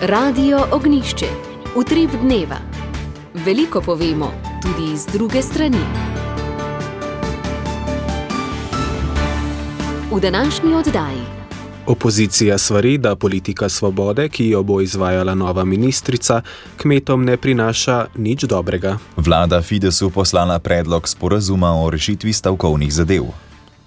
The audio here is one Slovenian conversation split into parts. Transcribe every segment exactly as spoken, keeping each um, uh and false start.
Radio Ognišče, utrip dneva. Veliko povemo, tudi iz druge strani. V današnji oddaji. Opozicija svari, da politika svobode, ki jo bo izvajala nova ministrica, kmetom ne prinaša nič dobrega. Vlada Fidesu poslala predlog sporazuma o rešitvi stavkovnih zadev.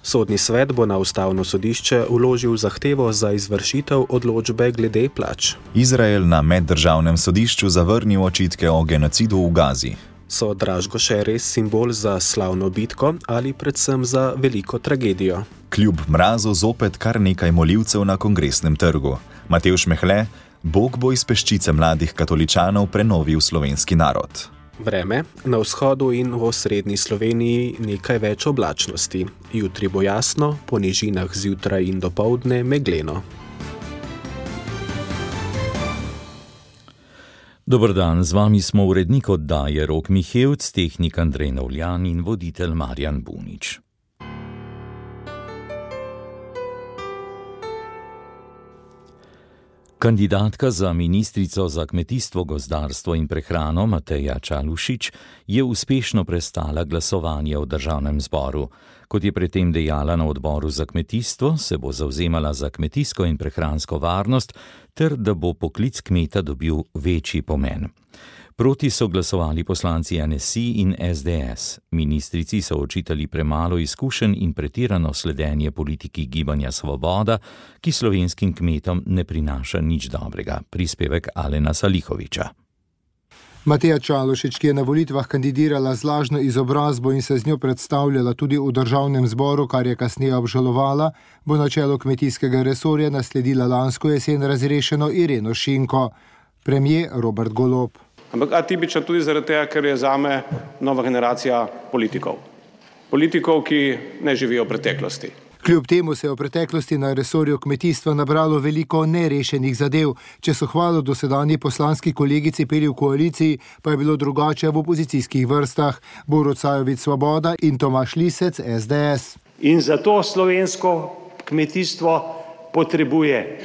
Sodni svet bo na ustavno sodišče vložil zahtevo za izvršitev odločbe glede plač. Izrael na meddržavnem sodišču zavrnil očitke o genocidu v Gazi. So Dražgoše res simbol za slavno bitko ali predvsem za veliko tragedijo? Kljub mrazu zopet kar nekaj molivcev na Kongresnem trgu. Matevž Mehle, Bog bo iz peščice mladih katoličanov prenovil slovenski narod. Vreme, na vzhodu in v osrednji Sloveniji nekaj več oblačnosti. Jutri bo jasno, po nižinah zjutraj in dopoldne megleno. Dober dan, z vami smo urednik oddaje Rok Mihevc, tehnik Andrej Novljan in voditelj Marjan Bunič. Kandidatka za ministrico za kmetijstvo, gozdarstvo in prehrano Mateja Čalušić je uspešno prestala glasovanje v državnem zboru. Kot je predtem dejala na odboru za kmetijstvo, se bo zavzemala za kmetijsko in prehransko varnost ter da bo poklic kmeta dobil večji pomen. Proti so glasovali poslanci N S I in S D S. Ministrici so očitali premalo izkušenj in pretirano sledenje politiki Gibanja Svoboda, ki slovenskim kmetom ne prinaša nič dobrega. Prispevek Alena Salihoviča. Mateja Čalušić, ki je na volitvah kandidirala z lažno izobrazbo in se z njo predstavljala tudi v državnem zboru, kar je kasneje obžalovala, bo na čelu kmetijskega resorja nasledila lansko jesen razrešeno Ireno Šinko. Premier Robert Golob. Ampak atipična tudi zaradi tega, ker je zame nova generacija politikov. Politikov, ki ne živijo v preteklosti. Kljub temu se je v preteklosti na resorju kmetijstva nabralo veliko nerešenih zadev. Če so hvalo dosedanji poslanski kolegici peli v koaliciji, pa je bilo drugače v opozicijskih vrstah. Borut Sajovic Svoboda in Tomaž Lisec S D S. In zato slovensko kmetijstvo potrebuje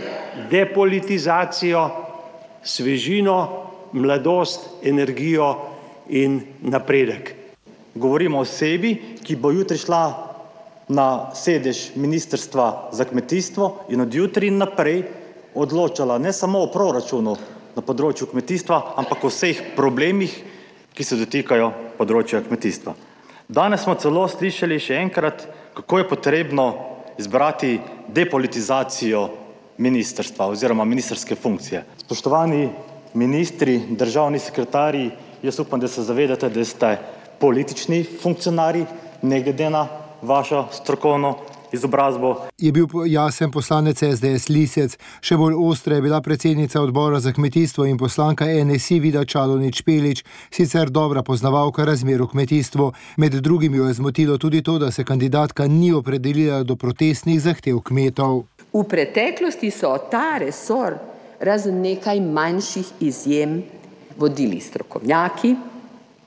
depolitizacijo, svežino, mladost, energijo in napredek. Govorimo o osebi, ki bo jutri šla na sedež Ministrstva za kmetijstvo in od jutri naprej odločala ne samo o proračunu na področju kmetijstva, ampak o vseh problemih, ki se dotikajo področja kmetijstva. Danes smo celo slišali še enkrat, kako je potrebno izbrati depolitizacijo ministrstva oziroma ministrske funkcije. Spoštovani ministri, državni sekretarji, jaz upam, da se zavedate, da ste politični funkcionarji, ne glede na vašo strokovno izobrazbo. Je bil jasen poslanec S D S Lisec, še bolj ostra je bila predsednica odbora za kmetijstvo in poslanka N S I Vida Čadonič Špelič, sicer dobra poznavalka razmer v kmetijstvu. Med drugim jo je zmotilo tudi to, da se kandidatka ni opredelila do protestnih zahtev kmetov. V preteklosti so ta resor razen nekaj manjših izjem vodili strokovnjaki,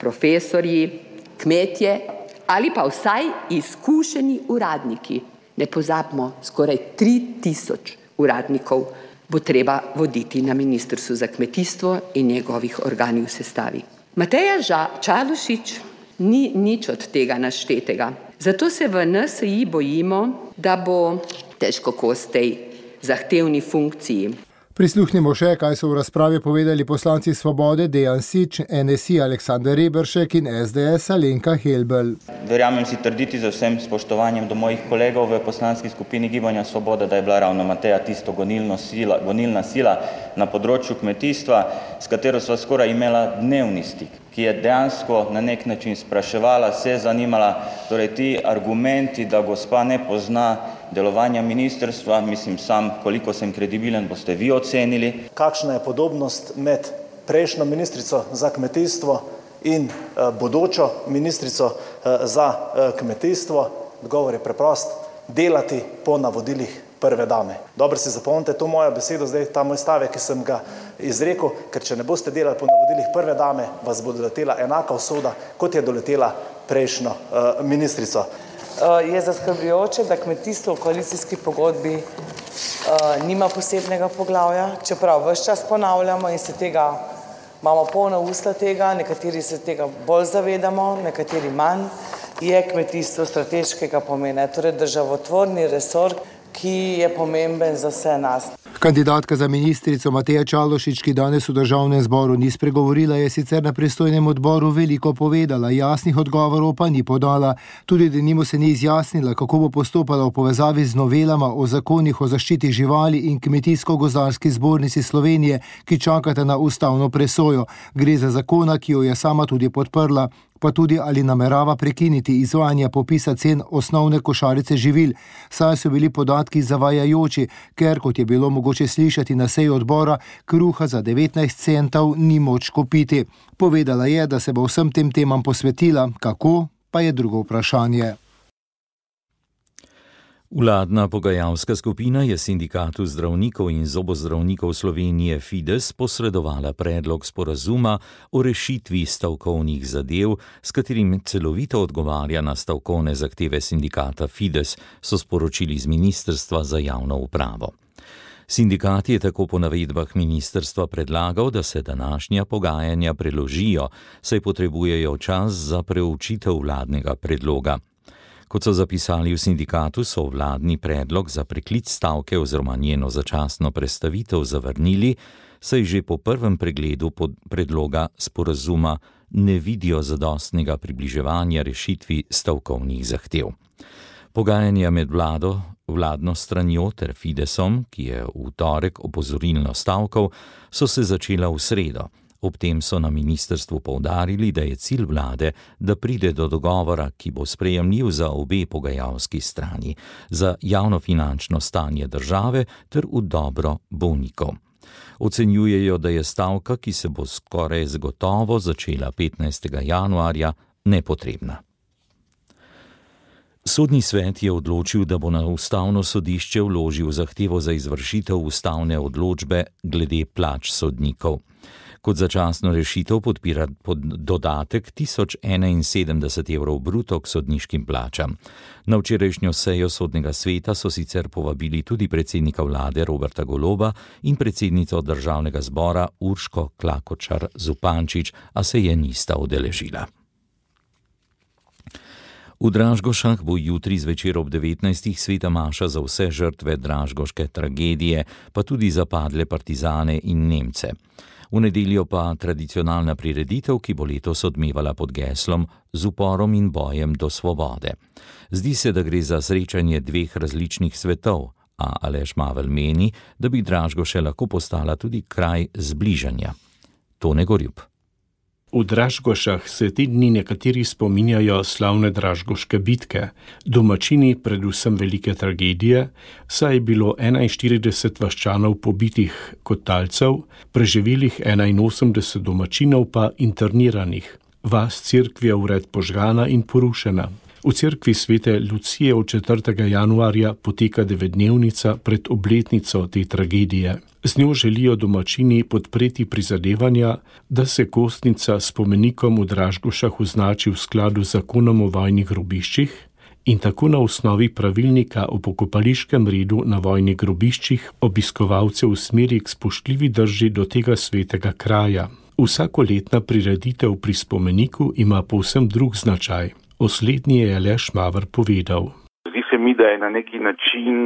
profesorji, kmetje ali pa vsaj izkušeni uradniki. Ne pozabimo, skoraj tri tisoč uradnikov bo treba voditi na Ministrstvu za kmetijstvo in njegovih organih v sestavi. Mateja Čalušić ni nič od tega naštetega. Zato se v N S I bojimo, da bo težko kos tej zahtevni funkciji. Prisluhnimo še, kaj so v razpravi povedali poslanci Svobode Dejan Sič, N S I Aleksander Reberšek in S D S Alenka Helbl. Verjamem si trditi z vsem spoštovanjem do mojih kolegov v poslanski skupini Gibanja Svoboda, da je bila ravno Mateja tisto gonilno sila, gonilna sila na področju kmetijstva, s katero sva skoraj imela dnevni stik, ki je dejansko na nek način spraševala, se zanimala, torej ti argumenti, da gospa ne pozna delovanja ministrstva, mislim sam, koliko sem kredibilen, boste vi ocenili. Kakšna je podobnost med prejšnjo ministrico za kmetijstvo in uh, bodočo ministrico uh, za uh, kmetijstvo? Odgovor je preprost, delati po navodilih prve dame. Dobro si zapomnite to mojo besedo, zdaj ta moj stavek, ki sem ga izrekel, ker če ne boste delali po navodilih prve dame, vas bo doletela enaka usoda, kot je doletela prejšnjo uh, ministrico. Je zaskrbljujoče, da kmetijstvo v koalicijski pogodbi uh, nima posebnega poglavja, čeprav ves čas ponavljamo in se tega, imamo polna usta tega, nekateri se tega bolj zavedamo, nekateri manj, je kmetijstvo strateškega pomena, torej državotvorni resor, ki je pomemben za vse nas. Kandidatka za ministrico Mateja Čalušić, ki danes v državnem zboru ni spregovorila, je sicer na pristojnem odboru veliko povedala, jasnih odgovorov pa ni podala. Tudi denimo se ni izjasnila, kako bo postopala v povezavi z novelama o zakonih o zaščiti živali in Kmetijsko-gozdarski zbornici Slovenije, ki čakata na ustavno presojo. Gre za zakona, ki jo je sama tudi podprla, pa tudi ali namerava prekiniti izvajanja popisa cen osnovne košarice živil, saj so bili podatki zavajajoči, ker, kot je bilo mogoče slišati na seji odbora, kruha za devetnajst centov ni moč kupiti. Povedala je, da se bo vsem tem temam posvetila, kako, pa je drugo vprašanje. Vladna pogajalska skupina je Sindikatu zdravnikov in zobozdravnikov Slovenije Fides posredovala predlog sporazuma o rešitvi stavkovnih zadev, s katerim celovito odgovarja na stavkovne zahteve sindikata Fides, so sporočili z Ministrstva za javno upravo. Sindikat je tako po navedbah ministrstva predlagal, da se današnja pogajanja preložijo, saj potrebujejo čas za preučitev vladnega predloga. Kot so zapisali v sindikatu, so vladni predlog za preklic stavke oziroma njeno začasno prestavitev zavrnili, saj že po prvem pregledu predloga sporazuma ne vidijo zadostnega približevanja rešitvi stavkovnih zahtev. Pogajanja med vlado, vladno stranjo ter Fidesom, ki je v torek opozorilno stavkal, so se začela v sredo. Ob tem so na ministrstvu poudarili, da je cilj vlade, da pride do dogovora, ki bo sprejemljiv za obe pogajalski strani, za javnofinančno stanje države ter v dobro bolnikov. Ocenjujejo, da je stavka, ki se bo skoraj zagotovo začela petnajstega januarja, nepotrebna. Sodni svet je odločil, da bo na ustavno sodišče vložil zahtevo za izvršitev ustavne odločbe glede plač sodnikov. Kot začasno rešitev podpira pod dodatek tisoč enainsedemdeset evrov bruto k sodniškim plačam. Na včerajšnjo sejo sodnega sveta so sicer povabili tudi predsednika vlade Roberta Goloba in predsednico državnega zbora Urško Klakočar Zupančič, a se je nista udeležila. V Dražgošah bo jutri zvečer ob devetnajstih sveta maša za vse žrtve dražgoške tragedije, pa tudi za padle partizane in Nemce. V nedeljo pa tradicionalna prireditev, ki bo letos odmevala pod geslom Z uporom in bojem do svobode. Zdi se, da gre za srečanje dveh različnih svetov, a Aleš Mavel meni, da bi Dražgoše lahko postala tudi kraj zbližanja. Tone Gorjup. V Dražgošah se te dni nekateri spominjajo slavne dražgoške bitke, domačini predvsem velike tragedije, saj je bilo enainštirideset vaščanov pobitih kot talcev, preživelih enainosemdeset domačinov pa interniranih. Vas cerkvi je vred požgana in porušena. V cerkvi svete Lucije od četrtega januarja poteka devetdnevnica pred obletnico te tragedije. Z njo želijo domačini podpreti prizadevanja, da se kostnica s spomenikom v Dražgošah označi v skladu z zakonom o vojnih grobiščih in tako na osnovi pravilnika o pokopališkem redu na vojnih grobiščih obiskovalce usmeri k spoštljivi drži do tega svetega kraja. Vsakoletna prireditev pri spomeniku ima povsem drug značaj. O slednji je Aleš Maver povedal. Zdi se mi, da je na neki način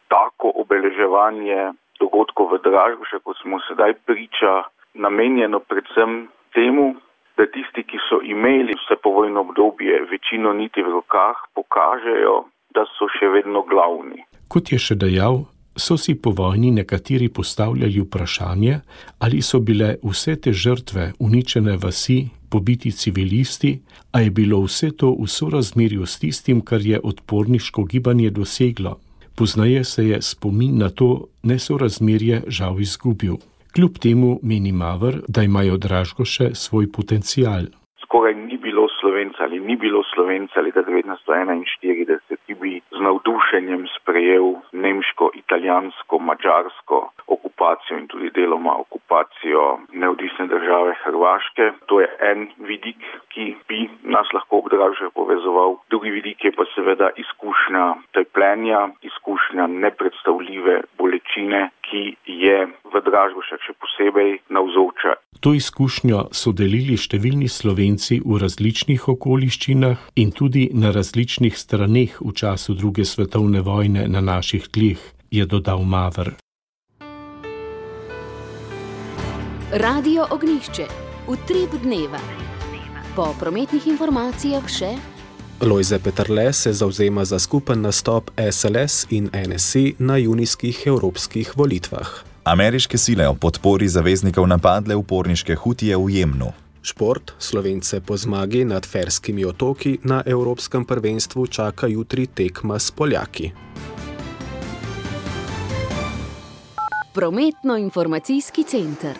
tako obeleževanje dogodkov v Dražgošah, kot smo sedaj priča, namenjeno predvsem temu, da tisti, ki so imeli vse povojno obdobje večino niti v rokah, pokažejo, da so še vedno glavni. Kot je še dejal, so si po vojni nekateri postavljali vprašanje, ali so bile vse te žrtve, uničene vasi, pobiti civilisti, a je bilo vse to v sorazmerju s tistim, kar je odporniško gibanje doseglo. Poznaje se je spomin na to nesorazmerje žal izgubil. Kljub temu meni Maver, da imajo Dražgoše svoj potencial. Skoraj ni bilo Slovenca ali ni bilo Slovenca leta devetnajststo enainštirideset, ki bi z navdušenjem sprejel nemško, italijansko, madžarsko okupacijo in tudi deloma okupacijo neodvisne države Hrvaške. To je en vidik, ki bi nas lahko ob Dražgošah povezoval. Drugi vidik je pa seveda izkušnja trpljenja, izkušnja nepredstavljive je v Dražgošah še posebej navzoča. To izkušnjo so delili številni Slovenci v različnih okoliščinah in tudi na različnih straneh v času druge svetovne vojne na naših tleh, je dodal Maver. Radio Ognjišče, utrip dneva. Po prometnih informacijah še Lojze Peterle se zavzema za skupen nastop S L S in N S I na junijskih evropskih volitvah. Ameriške sile o podpori zaveznikov napadle uporniške Hutije v Jemnu. Šport, Slovence po zmagi nad Ferskimi otoki na evropskem prvenstvu čaka jutri tekma s Poljaki. Prometno-informacijski center.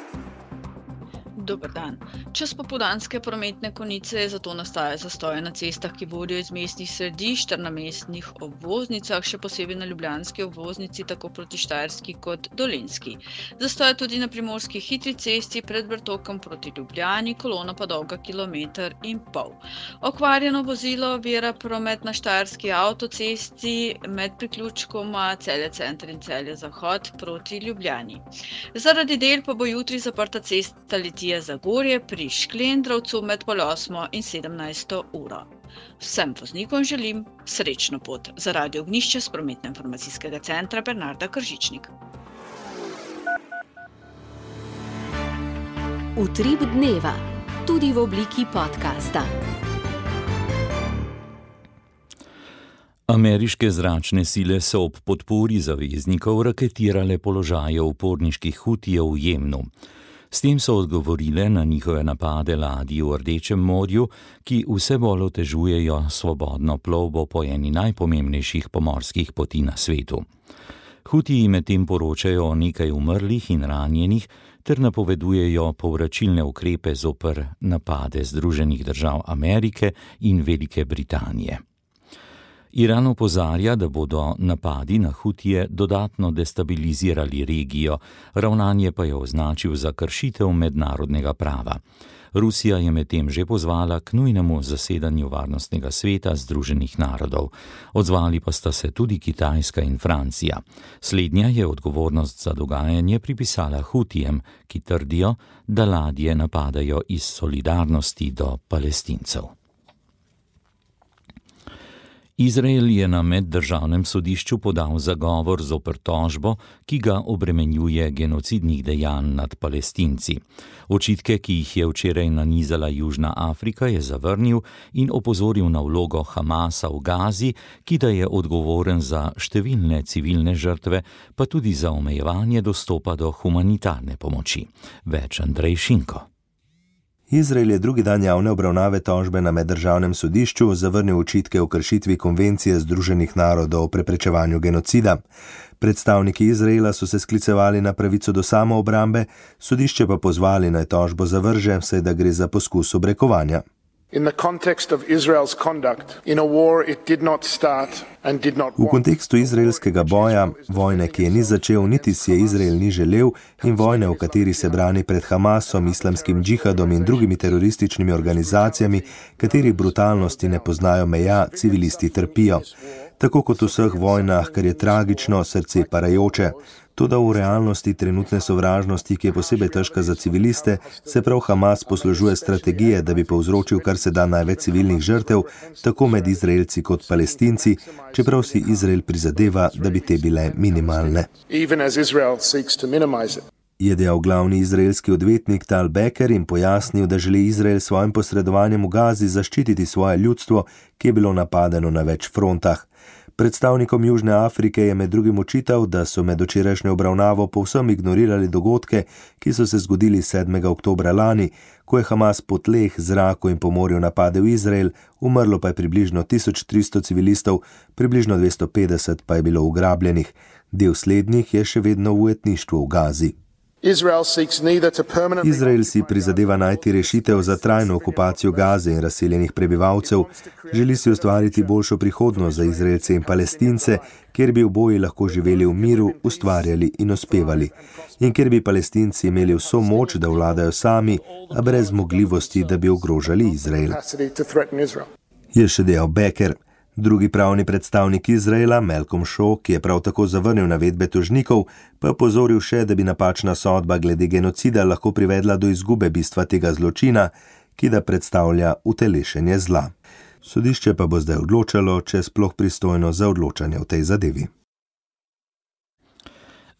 Dober dan. Čas popoldanske prometne konice, zato nastaja zastoje na cestah, ki vodijo iz mestnih središč ter na mestnih obvoznicah, še posebej na ljubljanski obvoznici, tako proti Štajerski kot Dolenjski. Zastoje tudi na primorski hitri cesti pred Vrtokom proti Ljubljani, kolona pa dolga kilometer in pol. Okvarjeno vozilo ovira promet na Štajerski avtocesti med priključkoma Celje center in Celje zahod proti Ljubljani. Zaradi del pa bo jutri zaprta cesta Litija Zagorje pri Šklendrovcu med pol osmo in sedemnajsto uro. Vsem voznikom želim srečno pot. Za Radio Ognjišče s prometno-informacijskega centra Bernarda Kržičnik. Utrip dneva, tudi v obliki podcasta. Ameriške zračne sile so ob podpori zaveznikov raketirale položaje uporniških Hutijev v Jemnu. S tem so odgovorile na njihove napade ladij v Rdečem morju, ki vse bolj otežujejo svobodno plovbo po eni najpomembnejših pomorskih poti na svetu. Hutiji medtem poročajo o nekaj umrlih in ranjenih ter napovedujejo povračilne ukrepe zoper napade Združenih držav Amerike in Velike Britanije. Iran opozarja, da bodo napadi na Hutije dodatno destabilizirali regijo, ravnanje pa je označil za kršitev mednarodnega prava. Rusija je medtem že pozvala k nujnemu zasedanju Varnostnega sveta Združenih narodov. Odzvali pa sta se tudi Kitajska in Francija. Slednja je odgovornost za dogajanje pripisala Hutijem, ki trdijo, da ladje napadajo iz solidarnosti do Palestincev. Izrael je na meddržavnem sodišču podal zagovor zoper tožbo, ki ga obremenjuje genocidnih dejanj nad Palestinci. Očitke, ki jih je včeraj nanizala Južna Afrika, je zavrnil in opozoril na vlogo Hamasa v Gazi, ki da je odgovoren za številne civilne žrtve, pa tudi za omejevanje dostopa do humanitarne pomoči. Več Andrej Šinko. Izrael je drugi dan javne obravnave tožbe na meddržavnem sodišču zavrnil očitke o kršitvi konvencije Združenih narodov o preprečevanju genocida. Predstavniki Izraela so se sklicevali na pravico do samoobrambe, sodišče pa pozvali naj tožbo zavrže, saj da gre za poskus obrekovanja. V kontekstu izraelskega boja, vojne, ki je ni začel, niti si je Izrael ni želel, in vojne, v kateri se brani pred Hamasom, islamskim džihadom in drugimi terorističnimi organizacijami, katerih brutalnosti ne poznajo meja, civilisti trpijo. Tako kot v vseh vojnah, kar je tragično, srce parajoče. Toda v realnosti trenutne sovražnosti, ki je posebej težka za civiliste, se prav Hamas poslužuje strategije, da bi povzročil kar se da največ civilnih žrtev, tako med Izraelci kot Palestinci, čeprav si Izrael prizadeva, da bi te bile minimalne. Je dejal glavni izraelski odvetnik Tal Becker in pojasnil, da želi Izrael svojim posredovanjem v Gazi zaščititi svoje ljudstvo, ki je bilo napadeno na več frontah. Predstavnikom Južne Afrike je med drugim očital, da so med včerajšnjo obravnavo povsem ignorirali dogodke, ki so se zgodili sedmega oktobra lani, ko je Hamas po tleh, zraku in po morju napadel Izrael, umrlo pa je približno tisoč tristo civilistov, približno dvesto petdeset pa je bilo ugrabljenih. Del slednjih je še vedno v ujetništvu v Gazi. Izrael si prizadeva najti rešitev za trajno okupacijo Gaze in razseljenih prebivalcev, želi si ustvariti boljšo prihodnost za Izraelce in Palestince, kjer bi oboji lahko živeli v miru, ustvarjali in uspevali. In kjer bi Palestinci imeli vso moč, da vladajo sami, a brez zmogljivosti, da bi ogrožali Izrael. Je še dejal Becker. Drugi pravni predstavnik Izraela, Malcolm Shaw, ki je prav tako zavrnil navedbe tožnikov, pa je pozoril še, da bi napačna sodba glede genocida lahko privedla do izgube bistva tega zločina, ki da predstavlja utelešenje zla. Sodišče pa bo zdaj odločalo, če je sploh pristojno za odločanje v tej zadevi.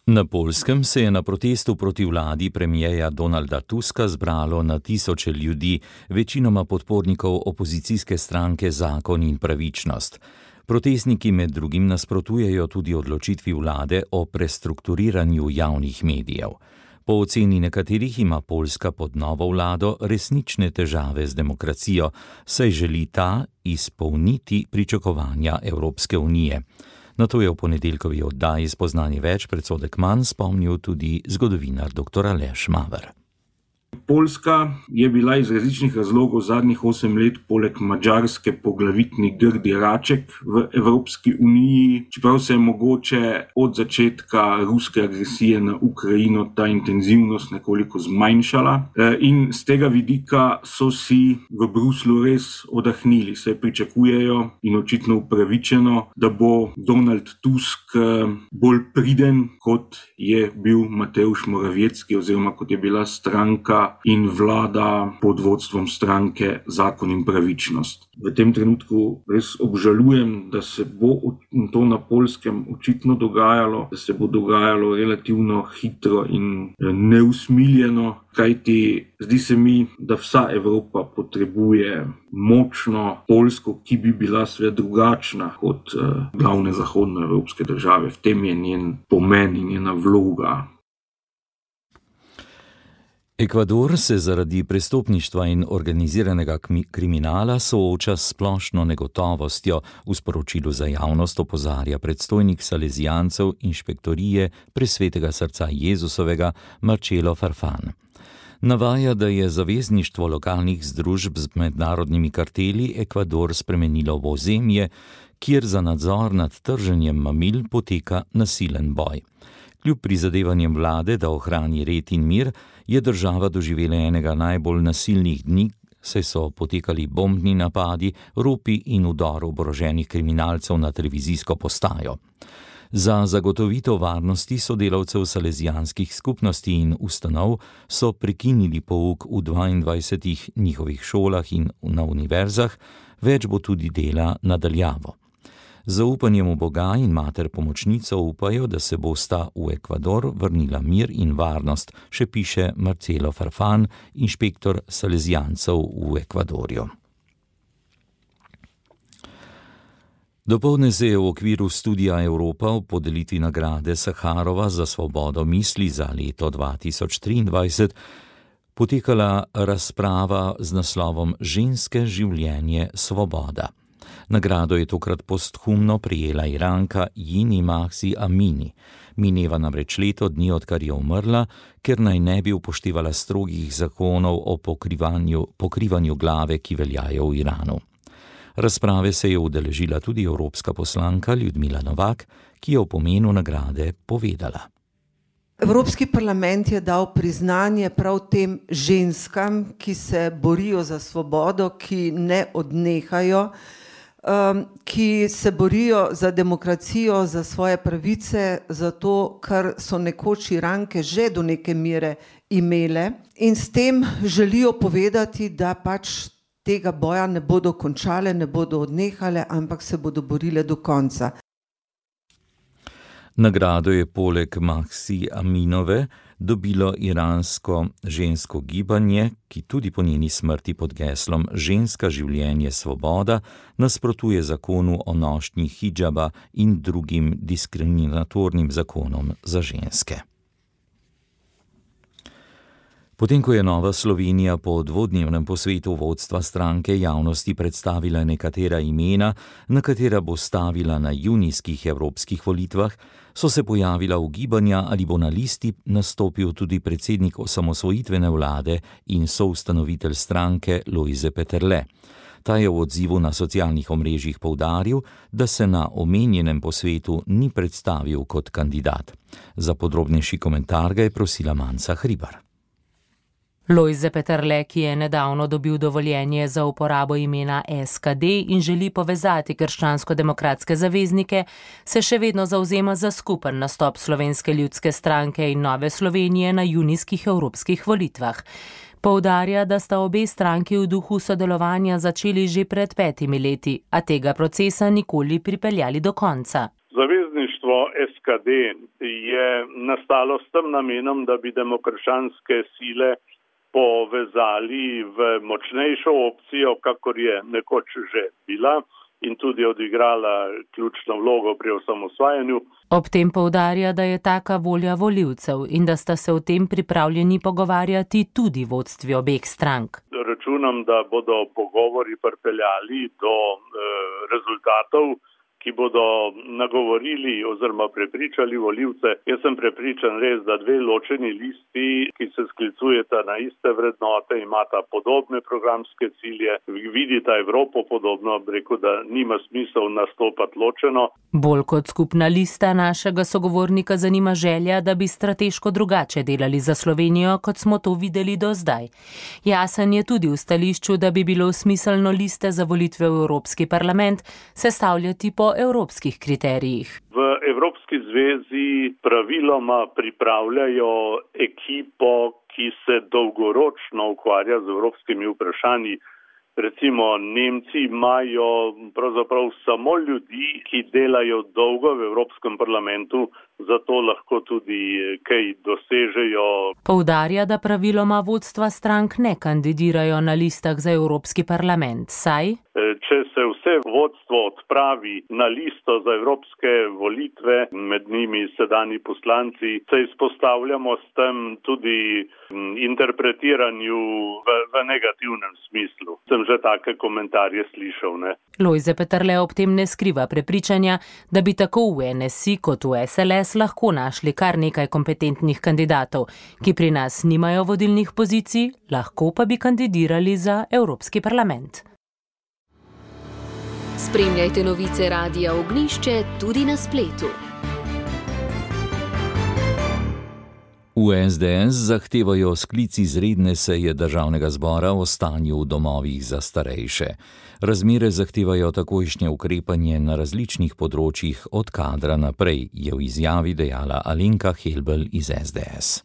Na Poljskem se je na protestu proti vladi premijeja Donalda Tuska zbralo na tisoče ljudi, večinoma podpornikov opozicijske stranke Zakon in pravičnost. Protestniki med drugim nasprotujejo tudi odločitvi vlade o prestrukturiranju javnih medijev. Po oceni nekaterih ima Poljska pod novo vlado resnične težave z demokracijo, saj želi ta izpolniti pričakovanja Evropske unije. Na to je v ponedeljkovi oddaji Spoznanje več predsodek manj spomnil tudi zgodovinar doktor Aleš Maver. Poljska je bila iz različnih razlogov zadnjih osem let poleg Madžarske poglavitni grdi raček v Evropski uniji, čeprav se je mogoče od začetka ruske agresije na Ukrajino ta intenzivnost nekoliko zmanjšala. In z tega vidika so si v Bruslju res odahnili, saj pričakujejo in očitno upravičeno, da bo Donald Tusk bolj priden, kot je bil Mateusz Morawiecki oziroma kot je bila stranka in vlada pod vodstvom stranke Zakon in pravičnost. V tem trenutku res obžalujem, da se bo to na Poljskem očitno dogajalo, da se bo dogajalo relativno hitro in neusmiljeno, kajti zdi se mi, da vsa Evropa potrebuje močno Poljsko, ki bi bila seveda drugačna kot glavne zahodnoevropske države. V tem je njen pomen in njena vloga. Ekvador se zaradi prestopništva in organiziranega kriminala sooča s splošno negotovostjo, v sporočilu za javnost opozarja predstojnik salezijancev inšpektorije Presvetega srca Jezusovega Marcelo Farfán. Navaja, da je zavezništvo lokalnih združb z mednarodnimi karteli Ekvador spremenilo v ozemlje, kjer za nadzor nad trženjem mamil poteka nasilen boj. Kljub prizadevanjem vlade, da ohrani red in mir, je država doživela enega najbolj nasilnih dni, saj so potekali bombni napadi, ropi in vdor oboroženih kriminalcev na televizijsko postajo. Za zagotovitev varnosti sodelavcev salezijanskih skupnosti in ustanov so prekinili pouk v dvaindvajsetih njihovih šolah in na univerzah, več bo tudi dela nadaljavo. Z zaupanjem v Boga in mater pomočnico upajo, da se bosta v Ekvador vrnila mir in varnost, še piše Marcelo Farfán, inšpektor salezijancev v Ekvadorju. Dopoldne se je v okviru Studia Evropa v podelitvi nagrade Saharova za svobodo misli za leto dva tisoč triindvajset potekala razprava z naslovom Ženske življenje svoboda. Nagrado je tokrat posthumno prijela Iranka Jini Mahsi Amini. Mineva namreč leto dni, odkar je umrla, ker naj ne bi upoštevala strogih zakonov o pokrivanju, pokrivanju glave, ki veljajo v Iranu. Razprave se je udeležila tudi evropska poslanka Ljudmila Novak, ki je o pomenu nagrade povedala. Evropski parlament je dal priznanje prav tem ženskam, ki se borijo za svobodo, ki ne odnehajo, ki se borijo za demokracijo, za svoje pravice, zato kar so nekoč Iranke že do neke mere imele. In s tem želijo povedati, da pač tega boja ne bodo končale, ne bodo odnehale, ampak se bodo borile do konca. Nagrado je poleg Mahsi Aminove dobilo iransko žensko gibanje, ki tudi po njeni smrti pod geslom Ženska življenje svoboda nasprotuje zakonu o nošnji hidžaba in drugim diskriminatornim zakonom za ženske. Potem, ko je Nova Slovenija po dvodnevnem posvetu vodstva stranke javnosti predstavila nekatera imena, na katera bo stavila na junijskih evropskih volitvah, so se pojavila ugibanja, ali bo na listi nastopil tudi predsednik osamosvojitvene vlade in soustanovitelj stranke Lojze Peterle. Ta je v odzivu na socialnih omrežjih poudaril, da se na omenjenem posvetu ni predstavil kot kandidat. Za podrobnejši komentar ga je prosila Manca Hribar. Lojze Peterle, ki je nedavno dobil dovoljenje za uporabo imena S K D in želi povezati krščansko-demokratske zaveznike, se še vedno zavzema za skupen nastop Slovenske ljudske stranke in Nove Slovenije na junijskih evropskih volitvah. Poudarja, da sta obe stranki v duhu sodelovanja začeli že pred petimi leti, a tega procesa nikoli pripeljali do konca. Zavezništvo S K D je nastalo s tem namenom, da bi demokrščanske sile povezali v močnejšo opcijo, kakor je nekoč že bila in tudi odigrala ključno vlogo pri osamosvajanju. Ob tem poudarja, da je taka volja volivcev in da sta se o tem pripravljeni pogovarjati tudi vodstvi obeh strank. Računam, da bodo pogovori pripeljali do e, rezultatov, ki bodo nagovorili oziroma prepričali volivce. Jaz sem prepričan res, da dve ločeni listi, ki se sklicujeta na iste vrednote, imata podobne programske cilje, vidita Evropo podobno, rekel, da nima smisel nastopati ločeno. Bolj kot skupna lista našega sogovornika zanima želja, da bi strateško drugače delali za Slovenijo, kot smo to videli do zdaj. Jasen je tudi v stališču, da bi bilo smiselno liste za volitve v Evropski parlament sestavljati po evropskih kriterijih. V Evropski zvezi praviloma pripravljajo ekipo, ki se dolgoročno ukvarja z evropskimi vprašanji. Recimo Nemci imajo pravzaprav samo ljudi, ki delajo dolgo v Evropskem parlamentu, zato lahko tudi kaj dosežejo. Poudarja, da praviloma vodstva strank ne kandidirajo na listah za Evropski parlament, saj če se vse vodstvo odpravi na listo za evropske volitve, med njimi sedanji poslanci, se izpostavljamo s tem tudi interpretiranju v, v negativnem smislu. Sem že take komentarje slišal, ne? Lojze Peterle ob tem ne skriva prepričanja, da bi tako v N S I kot v S L S lahko našli kar nekaj kompetentnih kandidatov, ki pri nas nimajo vodilnih pozicij, lahko pa bi kandidirali za Evropski parlament. Spremljajte novice Radia Ognjišče tudi na spletu. V S D S zahtevajo sklic izredne seje državnega zbora o stanju v domovih za starejše. Razmere zahtevajo takojšnje ukrepanje na različnih področjih od kadra naprej, je v izjavi dejala Alenka Helbl iz S D S.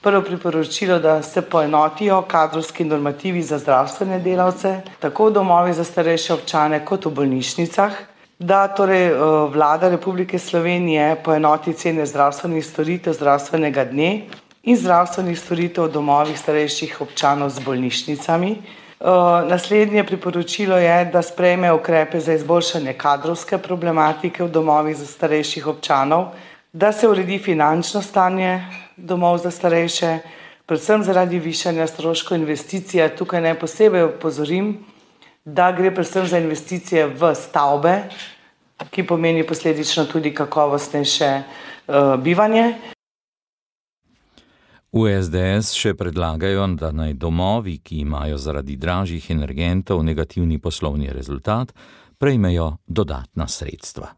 Prvo priporočilo, da se poenotijo kadrovski normativi za zdravstvene delavce, tako v domovih za starejše občane kot v bolnišnicah, da torej Vlada Republike Slovenije poenoti cene zdravstvenih storitev zdravstvenega dne in zdravstvenih storitev v domovih starejših občanov z bolnišnicami. Naslednje priporočilo je, da sprejme ukrepe za izboljšanje kadrovske problematike v domovih za starejših občanov, da se uredi finančno stanje domov za starejše, predvsem zaradi višanja stroškov investicije. Tukaj naj posebej opozorim, da gre predvsem za investicije v stavbe, ki pomeni posledično tudi kakovostnejše uh, bivanje. V S D S še predlagajo, da naj domovi, ki imajo zaradi dražjih energentov negativni poslovni rezultat, prejmejo dodatna sredstva.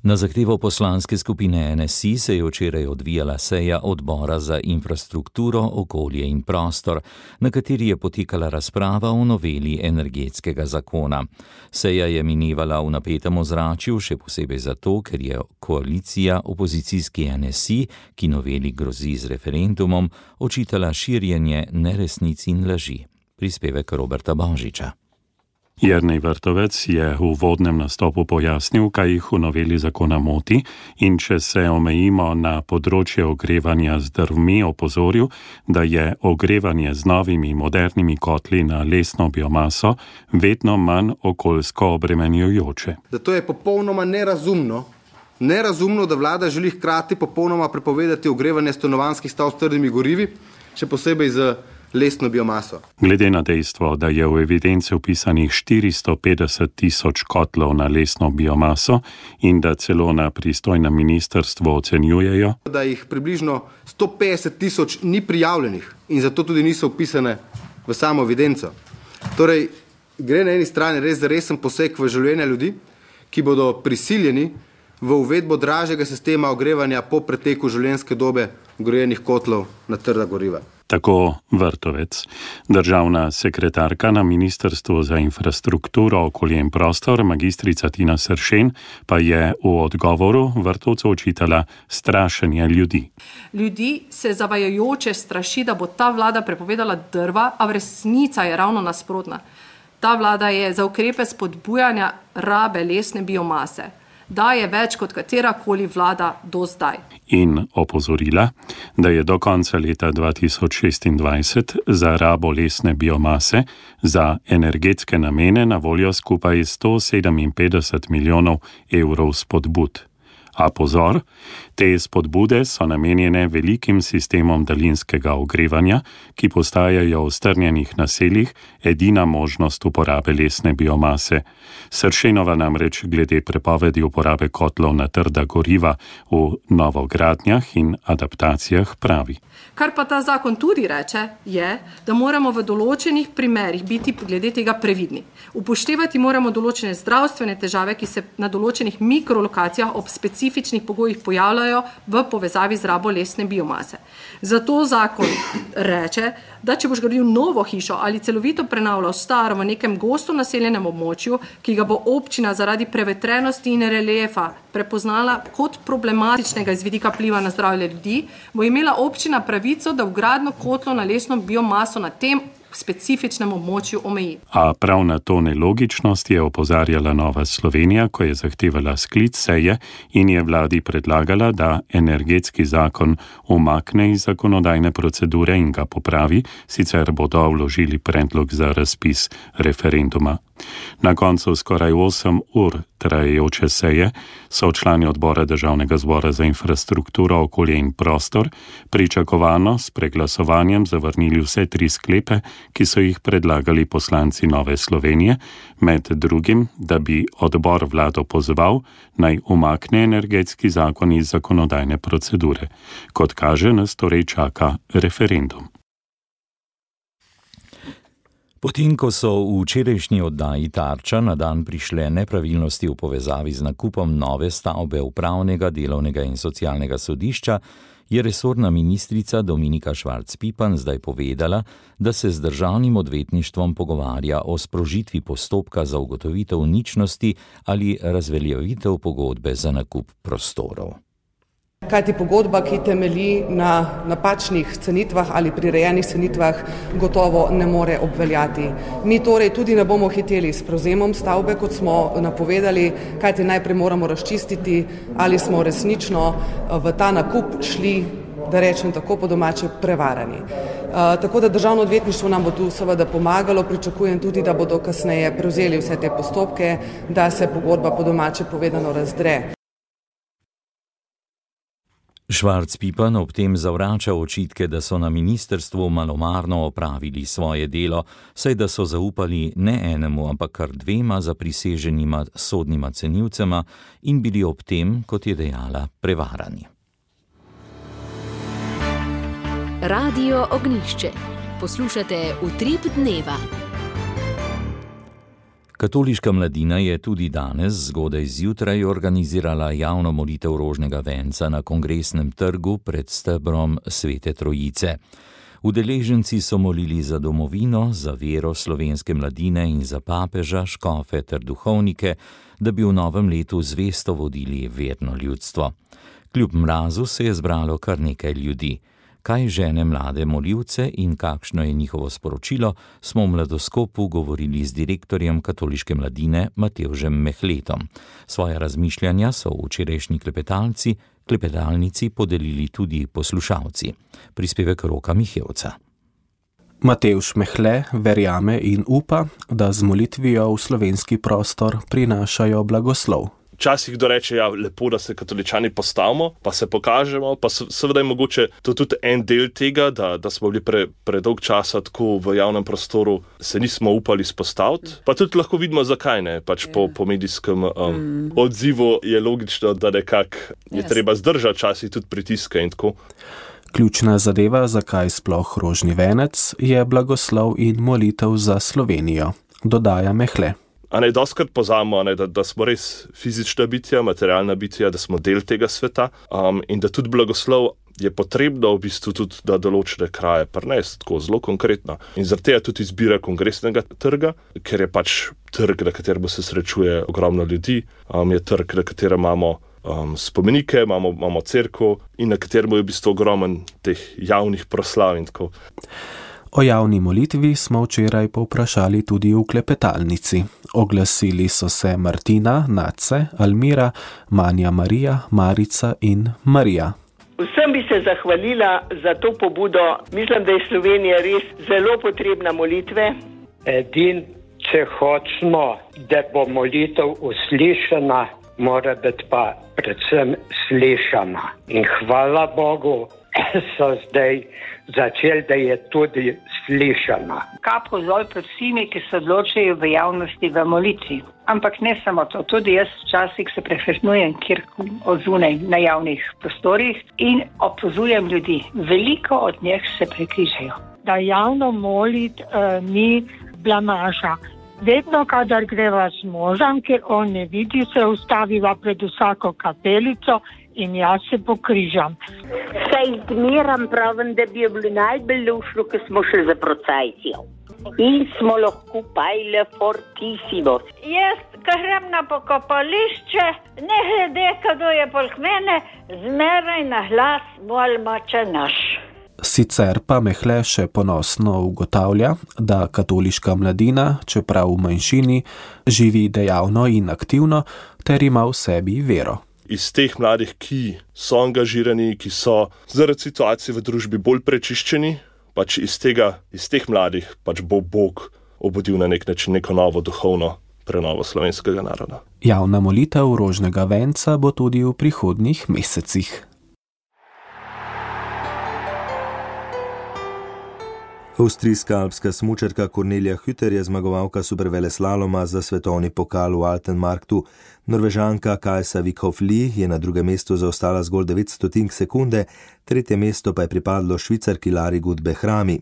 Na zahtevo poslanske skupine N S I se je včeraj odvijala seja odbora za infrastrukturo, okolje in prostor, na kateri je potekala razprava o noveli energetskega zakona. Seja je minevala v napetem ozračju, še posebej zato, ker je koalicija opozicijski N S I, ki noveli grozi z referendumom, očitala širjenje neresnic in laži. Prispevek Roberta Božiča. Jernej Vrtovec je v uvodnem nastopu pojasnil, kaj jih v noveli zakona moti, in če se omejimo na področje ogrevanja z drvmi, opozoril, da je ogrevanje z novimi modernimi kotli na lesno biomaso vedno manj okoljsko obremenjujoče. Da to je popolnoma nerazumno, nerazumno, da vlada želi hkrati popolnoma prepovedati ogrevanje stanovanjskih stavb s trdimi gorivi, še posebej z lesno biomaso. Glede na dejstvo, da je v evidence vpisanih štiristo petdeset tisoč kotlov na lesno biomaso in da celo na pristojnem ministrstvu ocenjujejo, da jih približno sto petdeset tisoč ni prijavljenih in zato tudi niso vpisane v samo evidenco. Torej, gre na eni strani res za resen poseg v življenje ljudi, ki bodo prisiljeni v uvedbo dražjega sistema ogrevanja po preteku življenjske dobe vgrajenih kotlov na trda goriva. Tako Vrtovec. Državna sekretarka na Ministrstvu za infrastrukturo, okolje in prostor, magistrica Tina Sršen, pa je v odgovoru Vrtovcu očitala strašenje ljudi. Ljudi se zavajajoče straši, da bo ta vlada prepovedala drva, a v resnica je ravno nasprotna. Ta vlada je za ukrepe spodbujanja rabe lesne biomase. Daje več kot katerakoli vlada do zdaj. In opozorila, da je do konca leta dva tisoč šestindvajset za rabo lesne biomase za energetske namene na voljo skupaj sto sedeminpetdeset milijonov evrov spodbud. A pozor, te spodbude so namenjene velikim sistemom daljinskega ogrevanja, ki postajajo v strnjenih naseljih edina možnost uporabe lesne biomase. Sršenova namreč glede prepovedi uporabe kotlov na trda goriva v novogradnjah in adaptacijah pravi. Kar pa ta zakon tudi reče, je, da moramo v določenih primerih biti glede tega previdni. Upoštevati moramo določene zdravstvene težave, ki se na določenih mikrolokacijah ob specifičnih pogojih pojavljajo v povezavi z rabo lesne biomase. Zato zakon reče, da če boš gradil novo hišo ali celovito prenavljal staro v nekem gosto naseljenem območju, ki ga bo občina zaradi prevetrenosti in reliefa prepoznala kot problematičnega iz vidika vpliva na zdravje ljudi, bo imela občina pravico, da vgradno kotlo na lesno biomaso na tem specifičnem območju omeji. A prav na to nelogičnost je opozarjala Nova Slovenija, ko je zahtevala sklic seje in je vladi predlagala, da energetski zakon umakne iz zakonodajne procedure in ga popravi, sicer bodo vložili predlog za razpis referenduma. Na koncu skoraj osem ur trajajoče seje so člani odbora Državnega zbora za infrastrukturo, okolje in prostor pričakovano s preglasovanjem zavrnili vse tri sklepe, ki so jih predlagali poslanci Nove Slovenije, med drugim, da bi odbor vlado pozval, naj umakne energetski zakon iz zakonodajne procedure. Kot kaže, nas torej čaka referendum. Potem, ko so v včerajšnji oddaji Tarča na dan prišle nepravilnosti v povezavi z nakupom nove stavbe Upravnega, delovnega in socialnega sodišča, je resorna ministrica Dominika Švarc Pipan zdaj povedala, da se z državnim odvetništvom pogovarja o sprožitvi postopka za ugotovitev ničnosti ali razveljavitev pogodbe za nakup prostorov. Kajti pogodba, ki temelji na napačnih cenitvah ali prirejenih cenitvah, gotovo ne more obveljati. Mi torej tudi ne bomo hiteli s prevzemom stavbe, kot smo napovedali, kajti najprej moramo razčistiti, ali smo resnično v ta nakup šli, da rečem tako po domače, prevarani. Uh, tako da državno odvetništvo nam bo tu seveda pomagalo, pričakujem tudi, da bodo kasneje prevzeli vse te postopke, da se pogodba po domače povedano razdre. Švarc Pipan ob tem zavrača očitke, da so na ministrstvu malomarno opravili svoje delo, saj da so zaupali ne enemu, ampak kar dvema zapriseženima sodnima cenilcema in bili ob tem, kot je dejala, prevarani. Radio Ognjišče. Poslušate Utrip dneva. Katoliška mladina je tudi danes zgodaj zjutraj organizirala javno molitev rožnega venca na Kongresnem trgu pred stebrom Svete Trojice. Udeleženci so molili za domovino, za vero slovenske mladine in za papeža, škofe ter duhovnike, da bi v novem letu zvesto vodili verno ljudstvo. Kljub mrazu se je zbralo kar nekaj ljudi. Kaj žene mlade molivce in kakšno je njihovo sporočilo, smo v Mladoskopu govorili z direktorjem katoliške mladine Matevžem Mehletom. Svoje razmišljanja so v včerajšnji klepetalci, klepetalnici podelili tudi poslušalci. Prispevek Roka Mihevca. Matevž Mehle verjame in upa, da z molitvijo v slovenski prostor prinašajo blagoslov. Včasih kdo reče, ja, lepo, da se katoličani postavimo, pa se pokažemo, pa seveda je mogoče to tudi en del tega, da, da smo bili pre, predolg časa tako v javnem prostoru, se nismo upali spostaviti, pa tudi lahko vidimo, zakaj ne, pač po, po medijskem um, mm. odzivu je logično, da nekako je yes. treba zdržati časih tudi pritiske in tako. Ključna zadeva, zakaj sploh rožni venec, je blagoslov in molitev za Slovenijo, dodaja Mehle. A ne, doskrat pozamo, ne, da, da smo res fizična bitja, materialna bitja, da smo del tega sveta um, in da tudi blagoslov je potrebno v bistvu tudi, da določene kraje prinesti, tako zelo konkretno. In zaradi tega tudi izbira kongresnega trga, ker je pač trg, na katerem se srečuje ogromno ljudi, um, je trg, na katerem imamo um, spomenike, imamo, imamo cerkev in na katerem je v bistvu ogromen teh javnih proslav in tako. O javni molitvi smo včeraj povprašali tudi v klepetalnici. Oglasili so se Martina, Nace, Almira, Manja Marija, Marica in Marija. Vsem bi se zahvalila za to pobudo. Mislim, da je Slovenija res zelo potrebna molitve. Edin, če hočemo, da bo molitev uslišana, mora biti pa predvsem slišana. In hvala Bogu, so zdaj začeli, da je tudi slišana. Kapo dol pred vsemi, ki se odločajo v javnosti v molitvi. Ampak ne samo to, tudi jaz včasih se prehranjujem kjer odzunaj na javnih prostorih in opozujem ljudi. Veliko od njih se prekrižajo. Da javno molit uh, ni blamaža. Vedno, kadar greva z možem, ker on ne vidi, se ustaviva pred vsako kapelico in jaz se pokrižam. Saj zmeram pravim, da bi je bilo najbolj lušno, ko smo šli za procesijo. In smo lahko pajle fortissimo. Jaz, ko grem na pokopališče, ne glede, kdo je poleg mene, zmeraj na glas molimo Oče naš. Sicer pa Mehle še ponosno ugotavlja, da katoliška mladina, čeprav v manjšini, živi dejavno in aktivno ter ima v sebi vero. Iz teh mladih, ki so angažirani, ki so zaradi situacije v družbi bolj prečiščeni, pač iz tega, iz teh mladih pač bo Bog obudil na nek način neko novo duhovno prenovo slovenskega naroda. Javna molitev rožnega venca bo tudi v prihodnjih mesecih. Avstrijska alpska smučarka Kornelija Hütter je zmagovalka superveleslaloma za svetovni pokal v Altenmarktu. Norvežanka Kajsa Vikhoff-Li je na drugem mestu zaostala zgolj devet stotink sekunde, tretje mesto pa je pripadlo Švicarki Lari Gut-Behrami.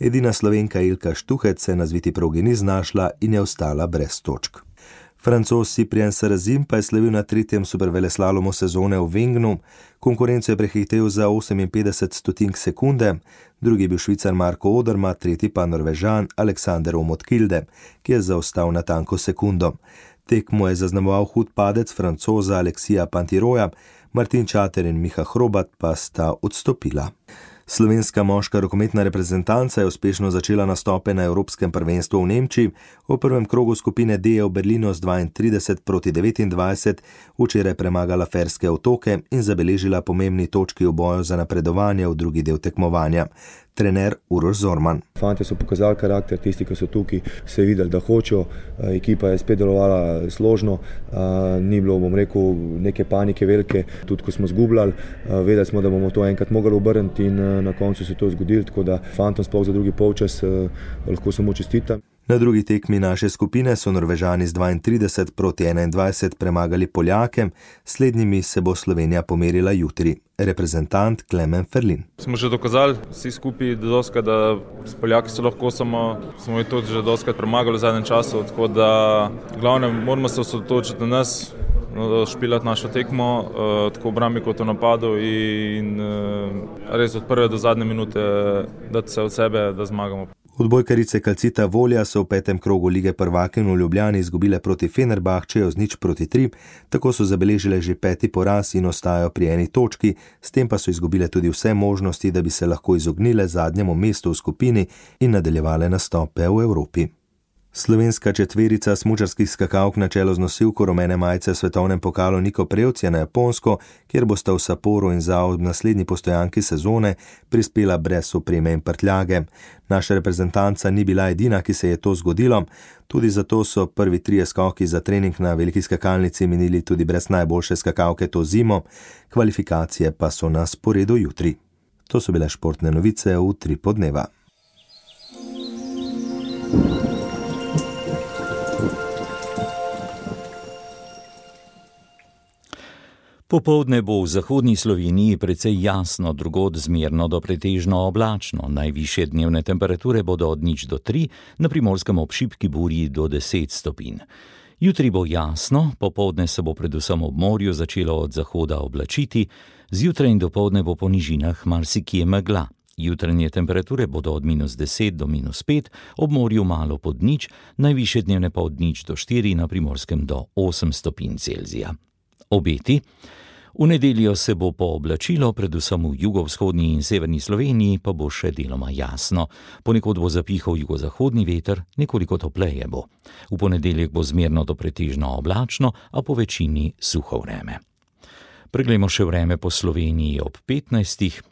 Edina Slovenka Ilka Štuhec se na zviti progi ni znašla in je ostala brez točk. Francoz Cyprien Sarrazin pa je slavil na tretjem superveleslalomu sezone v Wengnu. Konkurenco je prehitel za oseminpetdeset stotink sekunde, drugi je bil Švicar Marko Odermatt, tretji pa Norvežan Alexander Omot-Kilde, ki je zaostal na tanko sekundo. Tekmo je zaznamoval hud padec Francoza Aleksija Pantiroja, Martin Čater in Miha Hrobat pa sta odstopila. Slovenska moška rokometna reprezentanca je uspešno začela nastope na Evropskem prvenstvu v Nemčiji. V prvem krogu skupine D je v Berlinu z dvaintrideset proti devetindvajset včeraj premagala Ferske otoke in zabeležila pomembni točki v boju za napredovanje v drugi del tekmovanja. Trener Uroš Zorman. Fantje so pokazali karakter, tisti, ki so tukaj, se je videli, da hočejo, ekipa je spet delovala složno, ni bilo, bom rekel, neke panike velike, tudi ko smo zgubljali, vedeli smo, da bomo to enkrat mogli obrniti in na koncu se to zgodilo, tako da fantom sploh za drugi polčas lahko samo čestitam. Na drugi tekmi naše skupine so Norvežani z dvaintrideset proti enaindvajset premagali Poljake, slednjimi se bo Slovenija pomerila jutri. Reprezentant Klemen Ferlin. Smo že dokazali vsi skupaj doskrat, da s Poljaki se lahko samo, smo jih tudi že doskrat premagali v zadnjem času, tako da glavne moramo se osredotočiti na nas, špilati našo tekmo, tako v obrambi kot v napadu in res od prve do zadnje minute dati se od sebe, da zmagamo. Odbojkarice Calcita Volja so v petem krogu lige prvakinj v Ljubljani izgubile proti Fenerbahčeju z nič proti tri, tako so zabeležile že peti poraz in ostajajo pri eni točki, s tem pa so izgubile tudi vse možnosti, da bi se lahko izognile zadnjemu mestu v skupini in nadaljevale nastope v Evropi. Slovenska četverica smučarskih skakalk na čelu z nosilko rumene majice v svetovnem pokalu Niko Prevc je na Japonsko, kjer bosta v Sapporu in Zao v naslednji postojanki sezone prispela brez opreme in prtljage. Naša reprezentanca ni bila edina, ki se je to zgodilo, tudi zato so prvi trije skoki za trening na veliki skakalnici minili tudi brez najboljše skakalke to zimo, kvalifikacije pa so na sporedu jutri. To so bile športne novice v tri podneva. Popoldne bo v zahodni Sloveniji precej jasno, drugod zmerno do pretežno oblačno. Najvišje dnevne temperature bodo od nič do tri, na Primorskem ob šibki burji do deset stopinj. Jutri bo jasno, popoldne se bo predvsem ob morju začelo od zahoda oblačiti, zjutraj in dopoldne bo po nižinah marsikje megla. Jutranje temperature bodo od minus deset do minus pet, ob morju malo pod nič, najvišje dnevne pa od nič do štiri, na Primorskem do osem stopinj Celzija. Obeti. V nedeljo se bo pooblačilo, predvsem v jugovzhodni in severni Sloveniji pa bo še deloma jasno. Ponekod bo zapihal jugozahodni veter, nekoliko topleje bo. V ponedeljek bo zmerno do pretežno oblačno, a po večini suho vreme. Preglejmo še vreme po Sloveniji ob petnajstih.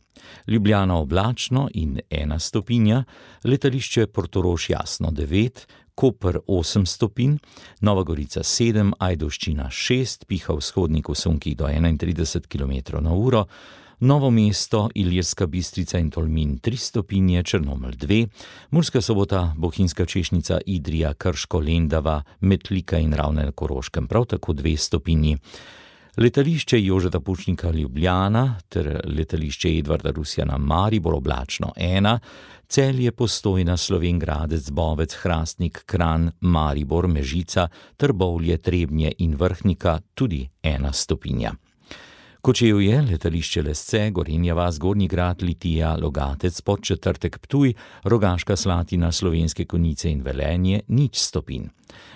Ljubljana oblačno in ena stopinja, letališče Portorož jasno devet, Koper osem stopinj, Nova Gorica sedem, Ajdovščina šest, piha vzhodnik v sunkih do enaintrideset kilometrov na uro, Novo mesto, Ilirska Bistrica in Tolmin tri stopinje, Črnomelj dve, Murska Sobota, Bohinjska Češnica, Idrija, Krško, Lendava, Metlika in Ravne na Koroškem prav tako dve stopinji. Letališče Jožeta Pučnika Ljubljana ter letališče Edvarda Rusjana Maribor oblačno ena, Celje, Postojna, Slovenj Gradec, Bovec, Hrastnik, Kranj, Maribor, Mežica, Trbovlje, Trebnje in Vrhnika tudi ena stopinja. Kočevje, letališče Lesce, Gorenja vas, Gornji Grad, Litija, Logatec, Podčetrtek, Ptuj, Rogaška Slatina, Slovenske Konjice in Velenje nič stopinj.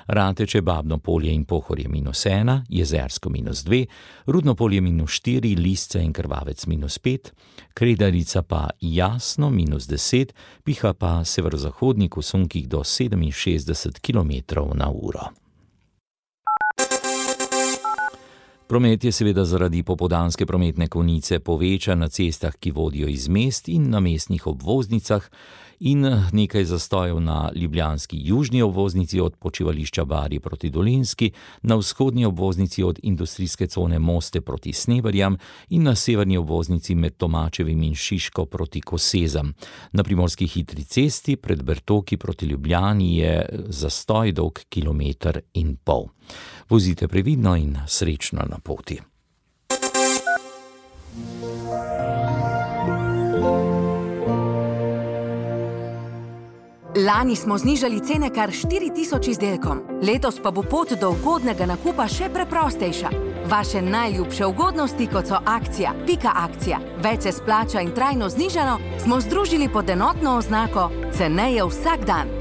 Rateče, Babno Polje in Pohorje minus ena, Jezersko minus dve, Rudno Polje minus štiri, Lisce in Krvavec minus pet, Kredarica pa jasno minus deset, piha pa severozahodnik v sunkih do sedeminšestdeset kilometrov na uro. Promet je seveda zaradi popoldanske prometne konice povečan na cestah, ki vodijo iz mest in na mestnih obvoznicah, in nekaj zastojev na ljubljanski južni obvoznici od počivališča Barje proti Dolenjski, na vzhodni obvoznici od industrijske cone Moste proti Sneberjam in na severni obvoznici med Tomačevim in Šiško proti Kosezam. Na primorski hitri cesti pred Bertoki proti Ljubljani je zastoj dolg kilometer in pol. Vozite previdno in srečno na poti. Lani smo znižali cene kar štiri tisoč izdelkom, letos pa bo pot do ugodnega nakupa še preprostejša. Vaše najljubše ugodnosti, kot so akcija, pika akcija, več se splača in trajno znižano, smo združili pod enotno oznako ceneje vsak dan.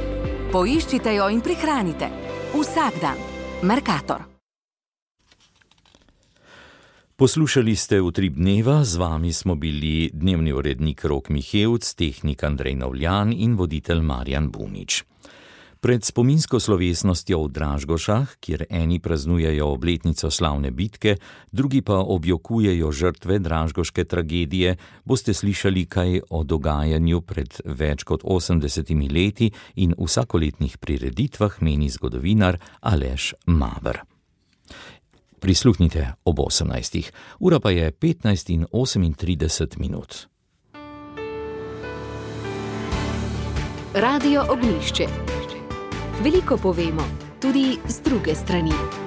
Poiščite jo in prihranite. Vsak dan. Mercator. Poslušali ste Utrip dneva, z vami smo bili dnevni urednik Rok Mihevc, tehnik Andrej Novljan in voditelj Marjan Bunič. Pred spominsko slovesnostjo v Dražgošah, kjer eni praznujejo obletnico slavne bitke, drugi pa objokujejo žrtve dražgoške tragedije, boste slišali kaj o dogajanju pred več kot osemdesetimi leti in vsakoletnih prireditvah, meni zgodovinar Aleš Maver. Prisluhnite ob osemnajstih, ura pa je petnajst in osemintrideset minut. Radio Ognjišče. Veliko povemo, tudi z druge strani.